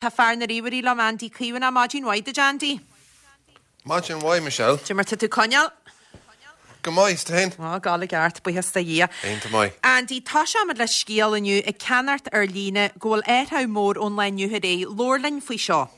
Tá fear na ríomhairí liom, Andy Caomhánach. Maidin mhaith duit, Andy. Maidin mhaith, Michelle. Cad é mar tá tú ag coinneáil? Go maith, is tú fhéin? Á, ag gabháil i gceart, buíochas do Dhia. Iontach maith. Andy, toiseoimid le scéal inniu ag ceannacht ar líne go bhfuil athrú mór ón lá inniu ar aghaidh. Labhair linn faoi seo.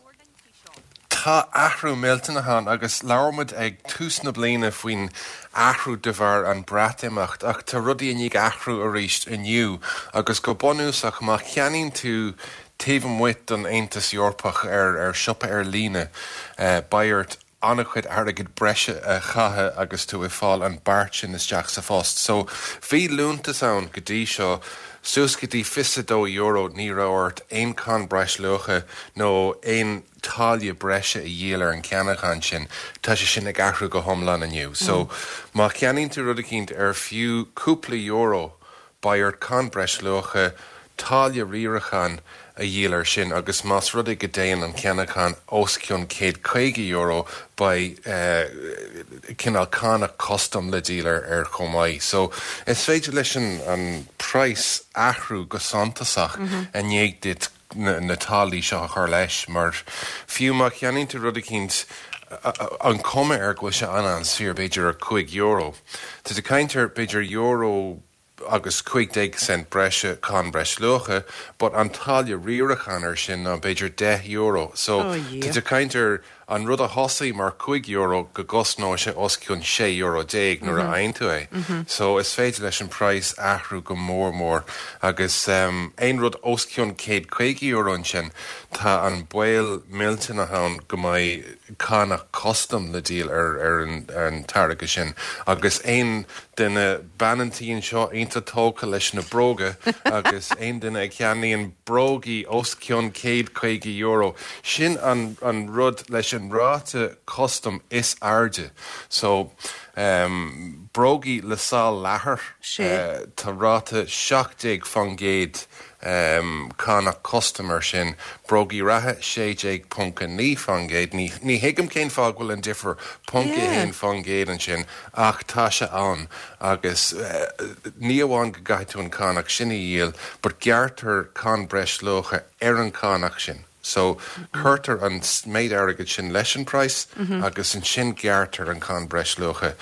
Tá athrú millteanach ann agus labhair muid ag tús na bliana faoin athrú de bharr an Breatimeacht ach tá rudaí i ndiaidh athrú arís inniu agus go bunúsach má cheannaíonn tú taobh amuigh den Aontas Eorpach ar ar siopa ar líne beidh ort an-chuid airgid breise a chaitheamh agus tú ag fáil an beart sin isteach sa phost. So bhí liúntas ann go dtí seo suas go dtí €22 ní raibh ort aon cáin breisluacha nó aon táille breise a dhíol ar an cheannachán sin. Tá sé sin ag athrú go hiomlán inniu. So má cheannaíonn tú rud eicínt ar fiú cúpla euro beidh ort cáin breisluacha, táille riaracháin a dhíol air sin agus más rud é go dtéann an ceannachán os cionn €150 beidh cineál cánach custam le díol air chomh maith. So is féidir leis an praghas athrú go suntasach i ndiaidh duit na táillí seo a chur leis mar fiú má cheannaíonn tú rud eicínt an cuma air go bhfuil sé an-an-saor b'fhéidir ar €5 tá tú ag caint ar b'fhéidir euro agus 15 cent breise cáin breisluacha but an táille riaracháin air sin ná b'fhéidir €10 so tá tú ag caint ar an rud a thosaigh mar €5 go gcosnóidh sé os cionn €16 nuair a fhaigheann tú é. So is féidir leis an praghas athrú go mór mór agus aon rud os cionn €150 ansin tá an baol millteanach ann go mbeidh cánach custam le díol ar an táirge sin agus aon duine, bean an tí anseo iontach tógtha leis na bróga agus aon duine a cheannaíonn brógaí os cionn €150, sin an an rud leis an ráta custam is airde. So, brógaí le sál leathair, tá ráta 17% cánach custam air sin, brógaí reatha 16.9%, ní thuigim cén fáth go bhfuil an difear 0.1% ansin ach tá sé ann agus ní amháin go gcaithfidh tú an cánach sin a dhíol but gearrtar cáin breisluacha ar an cánach sin. So, cuirtear an méid airgid sin leis an praghas agus ansin gearrtar an cáin breisluacha.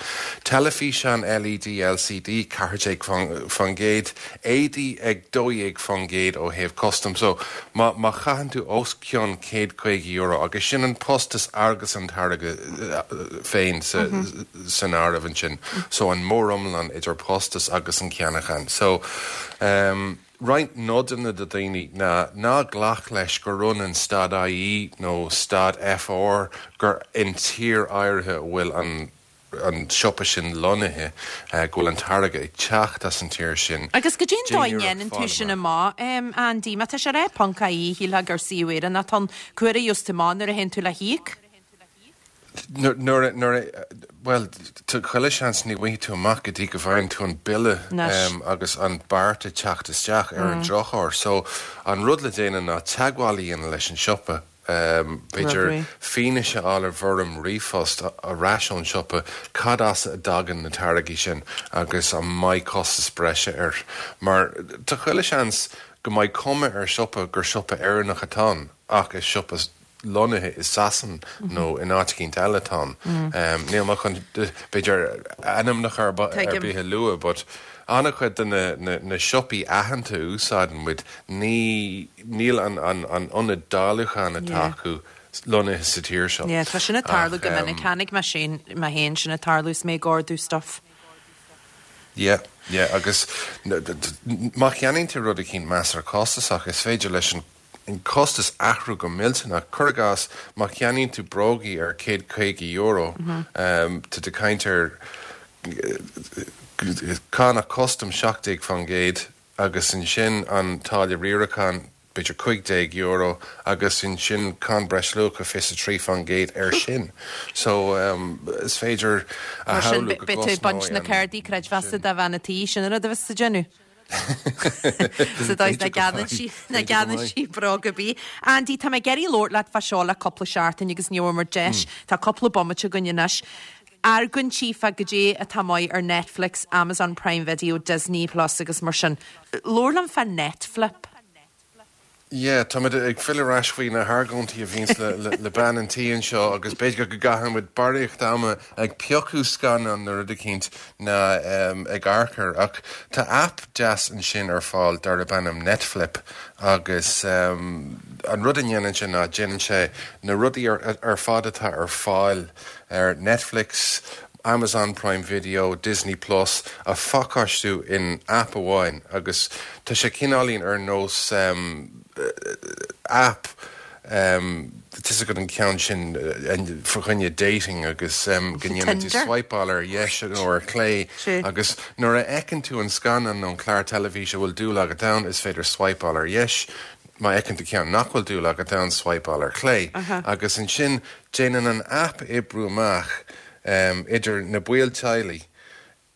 Teilifíseán LED LCD, 14%, éadaí ag 12% ó thaobh custam. So, má má chaitheann tú os cionn €150, agus sin an postas agus an táirge féin sa san áireamh ansin, so an móriomlán idir postas agus an ceannachán. So, ehm. Roinnt nodanna do dhaoine ná ná glac leis gur ionann stad IE nó stad FR gur in tír áirithe a bhfuil an an siopa sin lonnaithe, go bhfuil an táirge ag teacht as an tír sin. Agus goidé an dóigh a ndéanann tú sin amach, Andy? Má tá sé ar ponc IE, shílfeá gur suíomh Éireannach atá ann. Cá huair a gheobhas tú amach nuair a théann tú le híoc? Nuair a, bhuel, tá chuile seans ní bhfaighidh tú amach go dtí go bhfaigheann tú an bille agus an beart ag teacht isteach ar an drochuair. So, an rud le déanamh ná teagmháil a dhéanamh leis an siopa, b'fhéidir fianaise a fháil i bhfoirm ríomhphost ar ais ón siopa cad as a dtagann na táirgí sin agus an mbeidh costas breise air. Mar tá chuile seans go mbeidh cuma ar siopa gur siopa Éireannach atá ann ach is siopa lonnaithe i Sasain nó in áit eicínt eile atá ann. Níl mé chun, b'fhéidir, ainmneacha ar bith a lua but an-chuid de na siopaí aitheanta a úsáideann muid, ní, níl an ionad dáiliúcháin atá acu lonnaithe sa tír seo. Yeah, tá sin ag tarlú go minic. Chonaic mé sin, mé féin sin ag tarlú is mé ag ordú stuff. Yeah, yeah, agus má cheannaíonn tú rud eicínt measartha costasach, is féidir leis an an costas athrú go millteanach. Cuir i gcás, má cheannaíonn tú brógaí ar €150, tá tú ag caint ar cánach custam 17% agus ansin an táille riaracháin, b'fhéidir €15 agus ansin cáin breisluacha 23% air sin. So, is féidir a shamhlú go gcosnóidh an. Beidh tú ag baint na cártaí creidmheasa de bhean a' tí, sin an rud a bheas tú ag déanamh. Sa dóigh is nach gceannaíonn sí, nach gceannaíonn sí bróg ar bith. Andy, tá mé ag iarraidh labhairt leat fá seo le cúpla seachtain agus ní bhfuair muid deis. Tá cúpla bomaite againn anois. Argóintí fá goidé atá maith ar Netflix, Amazon Prime Video, Disney Plus agus mar sin. Labhair liom fá Netflip. Yeah, táimid ag filleadh ar ais faoi na hargóintí a bhíonns le bean an tí anseo agus b'fhéidir go gcaithfidh muid barraíocht ama ag piocadh scannán nó rud eicínt ná ag amharc air. Ach tá aip deas ansin ar fáil darb ainm Netflip agus an rud a ndéanann sé ná déanann sé na rudaí ar fad atá ar fáil ar Netflix, Amazon Prime Video, Disney Plus a phacáistiú in aip amháin agus tá sé cineáilín ar nós aip tá 'fhios agat an ceann sin fá choinne dating agus go ndéanann tú swipeáil ar dheis nó ar chlé agus nuair a fheiceann tú an scannán nó an clár teilifíse a bhfuil dúil agat ann is féidir swipeáil ar dheis má fheiceann tú ceann nach bhfuil dúil agat ann swipeáil ar chlé agus ansin déanann an aip oibriú amach idir na baill teaghlaigh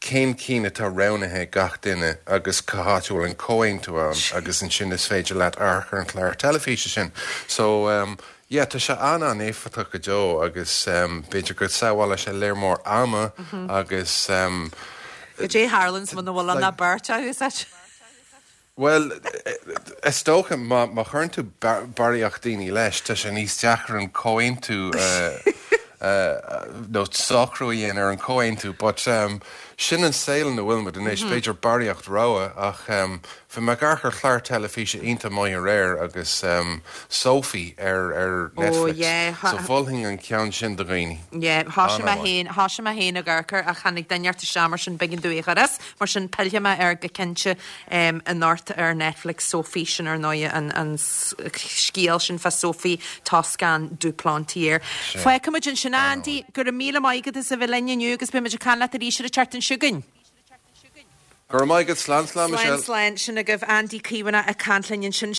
cén cinn atá roghnaithe ag gach duine agus cá háit a bhfuil an comhaontú ann agus ansin is féidir leat amharc ar an chlár teilifíse sin. So yeah, tá sé an-an-éifeachtach go deo agus b'fhéidir go sábhálfaidh sé léar mór ama agus. Goidé tharlaíonns muna bhfuil ann ach beirt acu, is ait. Bhuel, is dócha, má chuireann tú barraíocht daoine leis, tá sé níos deacra an comhaontú nó socrú a dhéanamh ar an comhaontú. But sin an saol ina bhfuil muid anois, b'fhéidir barraíocht rogha ach bhí mé ag amharc ar chlár teilifíse iontach maith aréir agus Sophie ar ar Netflix. So mholfainn an ceann sin do dhaoine. Yeah, thoisigh mé féin, thoisigh mé féin ag amharc air ach tháinig duine inteacht isteach mar sin b'éigean domh é a chur as. Mar sin, pillfidh mé air go cinnte anocht ar Netflix, Sophie, sin ar ndóigh an scéal sin fá Sophie Toscan du Plantier. Fágfaidh muid ansin é, Andy. Go raibh míle maith agat as a bheith linn inniu agus beidh muid ag caint leat arís ar an tseachtain seo chugainn. Go raibh maith agat. Slán, slán, Michelle. Slán, slán. Sin agaibh Andy Caomhánach ag caint linn ansin.